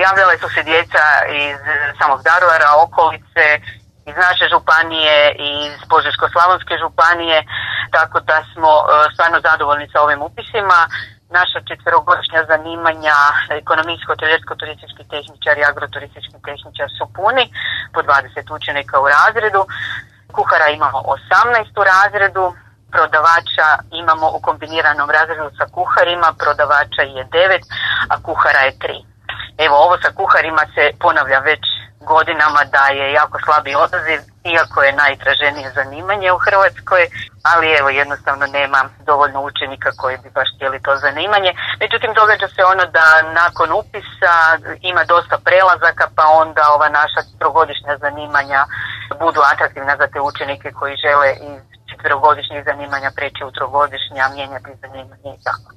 javljale su se djeca iz samog Daruvara, okolice, iz naše županije, iz Požeško-slavonske županije, tako da smo stvarno zadovoljni sa ovim upisima. Naša 4-godišnja zanimanja, ekonomijsko-trenersko-turistički tehničar i agroturistički tehničar su puni, po 20 učenika u razredu. Kuhara imamo 18 u razredu, prodavača imamo u kombiniranom razredu sa kuharima, prodavača je 9, a kuhara je 3. Evo, ovo sa kuharima se ponavlja već godinama da je jako slabi odaziv, iako je najtraženije zanimanje u Hrvatskoj, ali evo jednostavno nema dovoljno učenika koji bi baš htjeli to zanimanje. Međutim, događa se ono da nakon upisa ima dosta prelazaka, pa onda ova naša 4-godišnja zanimanja budu atraktivna za te učenike koji žele iz 4-godišnjih zanimanja preći u 3-godišnja, mijenjati zanimanje i tako.